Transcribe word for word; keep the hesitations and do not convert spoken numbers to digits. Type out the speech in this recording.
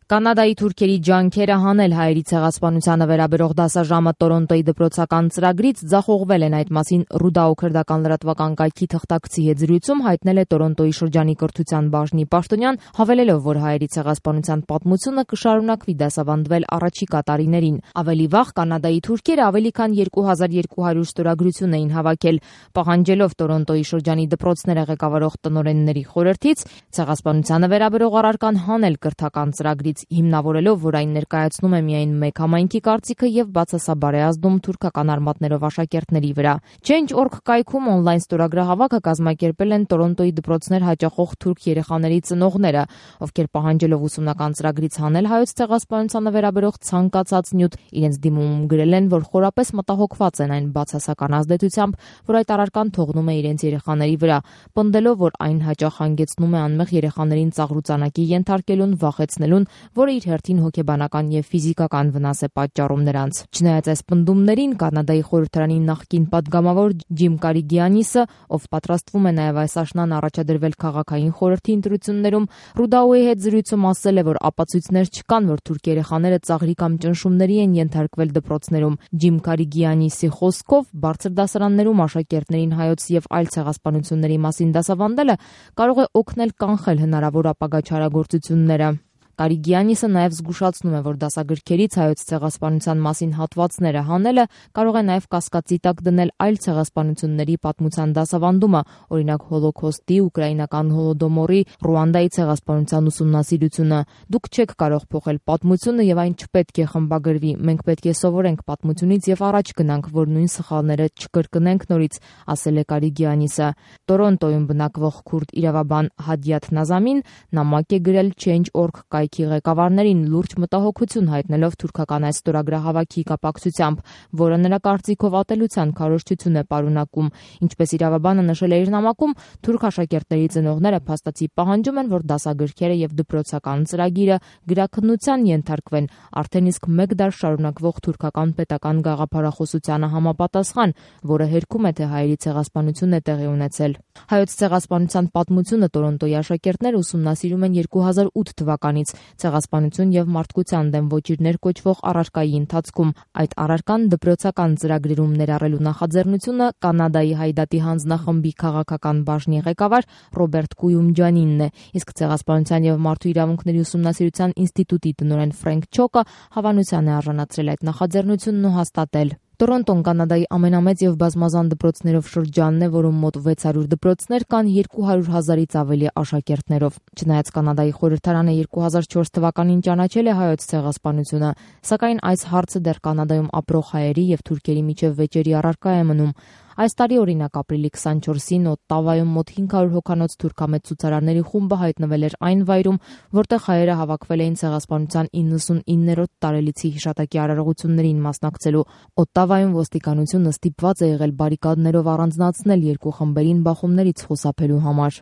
Կանադայի թուրքերի ջանքերը հանել հայերի ցեղասպանությանը վերաբերող դասաժամը Տորոնտոյի դպրոցական ծրագրից ձախողվել են, այդ մասին Ռուդաո քրդական լրատվական կայքի թղթակցի հետ զրույցում հայտնել է Տորոնտոյի շրջանի կրթության բաժնի պաշտոնյան, հավելելով, որ հայերի ցեղասպանության պատմությունը կշարունակվի դասավանդվել առաջիկա տարիներին։ Ավելի վաղ կանադայի թուրքերը ավելի քան երկու հազար երկու հարյուր ստորագրություն էին հավաքել, պահանջելով Տորոնտոյի շրջանի դպրոցները ղեկավարող տնօրենների խորհրդից ցեղասպանությանը վերաբերող առարկան հանել կրթական ծրագրից, հիմնավորելով, որ այն ներկայացնում է միայն մեկ համայնքի կարծիքը եւ բացասաբար է ազդում թուրքական արմատներով աշակերտների վրա։ Change dot org կայքում օնլայն ստորագրահավաքը կազմակերպել են Տորոնտոյի դպրոցներ հաճախող թուրք երեխաների ծնողները, ովքեր պահանջելով ուսումնական ծրագրից հանել հայոց ցեղասպանությանը վերաբերող ցանկացած նյութ, իրենց դիմումում գրել են, որ խորապես մտահոգված են այն բացասական ազդեցությամբ, որ այդ առարկան թողնում է իրենց երեխաների վրա, պնդելով, որ այն հաճախ հանգեցնում է անմեղ երեխաներին ծաղրուծանակի ենթարկելուն, վախեցնելուն, որը իր հերթին հոգեբանական եւ ֆիզիկական վնաս է պատճառում նրանց։ Չնայած այս պնդումներին, Կանադայի խորհրդարանի նախկին падգամավոր Ջիմ Կարիգյանիսը, ով պատրաստվում է նաեւ այս աշնան առաջադրվել քաղաքային խորհրդի ընտրություններում, Ռուդաոյի հետ զրույցում ասել է, որ ապացույցներ չկան, որ թուրք երեխաները ծաղրի կամ ճնշումների են ենթարկվել դպրոցներում։ Ջիմ Կարիգյանիսի խոսքով, բարձր դասարաններում աշակերտներին հայոց եւ այլ ցեղասպանությունների մասին դասավանդելը կարող է օգնել կանխել հնարավոր ապագա չարագործությունները։ Կարիգյանիսը նաև զգուշացնում է, որ դասագրքերից հայոց ցեղասպանության մասին հատվածները հանելը կարող է նաև կասկածի տակ դնել այլ ցեղասպանությունների պատմության դասավանդումը, օրինակ Հոլոքոստի, ուկրաինական հոլոդոմորի, Ռուանդայի ցեղասպանության ուսումնասիրությունը։ Դուք չեք կարող փոխել պատմությունը եւ այն չպետք է խմբագրվի։ Մենք պետք է սովորենք պատմությունից եւ առաջ գնանք, որ նույն սխալները չկրկնենք նորից, ասել է Կարիգյանիսը։ Տորոնտոյում բնակվող քուրդ իրավաբան Հադիաթ Նազամին նամակ է գրել Change dot org կայքի ղեկավարներին լուրջ մտահոգություն հայտնելով թուրքական այս ստորագրահավաքի կապակցությամբ, որը նրա կարծիքով ատելության քարոզչություն է պարունակում։ Ինչպես իրավաբանը նշել է իր նամակում, թուրք աշակերտների ծնողները փաստացի պահանջում են, որ դասագրքերը եւ դպրոցական ծրագիրը գրաքննության ենթարկվեն, արդեն իսկ մեկ դար շարունակվող թուրքական պետական գաղափարախոսությանը համապատասխան, որը հերքում է, թե հայերի ցեղասպանություն է տեղի ունեցել։ Հայոց ցեղասպանության պատմությունը Տորոնտոյի աշակերտները ուսումնասիրում են երկու հազար ութ թվականից ցեղասպանություն եւ մարդկության դեմ ոչիրներ կոչվող առարկայի ընթացքում։ Այդ առարկան դպրոցական ծրագրերում ներառելու նախաձեռնությունը Կանադայի Հայդատի հանձնախմբի քաղաքական բաժնի ղեկավար Ռոբերտ Կույումջանինն է, իսկ ցեղասպանության եւ մարդու իրավունքների ուսումնասիրության ինստիտուտի տնօրեն Ֆրենկ Չոկը հավանության է արժանացրել այդ նախաձեռնությունն ու հաստատել։ Տորոնտոն Կանադայի ամենամեծ եւ բազմազան դպրոցներով շրջանն է, որում մոտ վեց հարյուր դպրոցներ կան երկու հարյուր հազարից ավելի աշակերտներով։ Չնայած Կանադայի խորհրդարանը երկու հազար չորս թվականին ճանաչել է հայոց ցեղասպանությունը, սակայն այս հարցը դեռ Կանադայում ապրող հայերի եւ թուրքերի միջև վեճերի առարկա է մնում։ Այս տարի, օրինակ, ապրիլի քսանչորսին Օտտավայում մոտ հինգ հարյուր հոգանոց թուրքամետ ցուցարարների խումբը հայտնվել էր այն վայրում, որտեղ հայերը հավաքվել էին ցեղասպանության իննսունիններորդ տարելիցի հիշատակի արարողություններին մասնակցելու։ Օտտավայում ոստիկանությունը ստիպված է եղել բարիկադներով առանձնացնել երկու խմբերին բախումներից խուսափելու համար։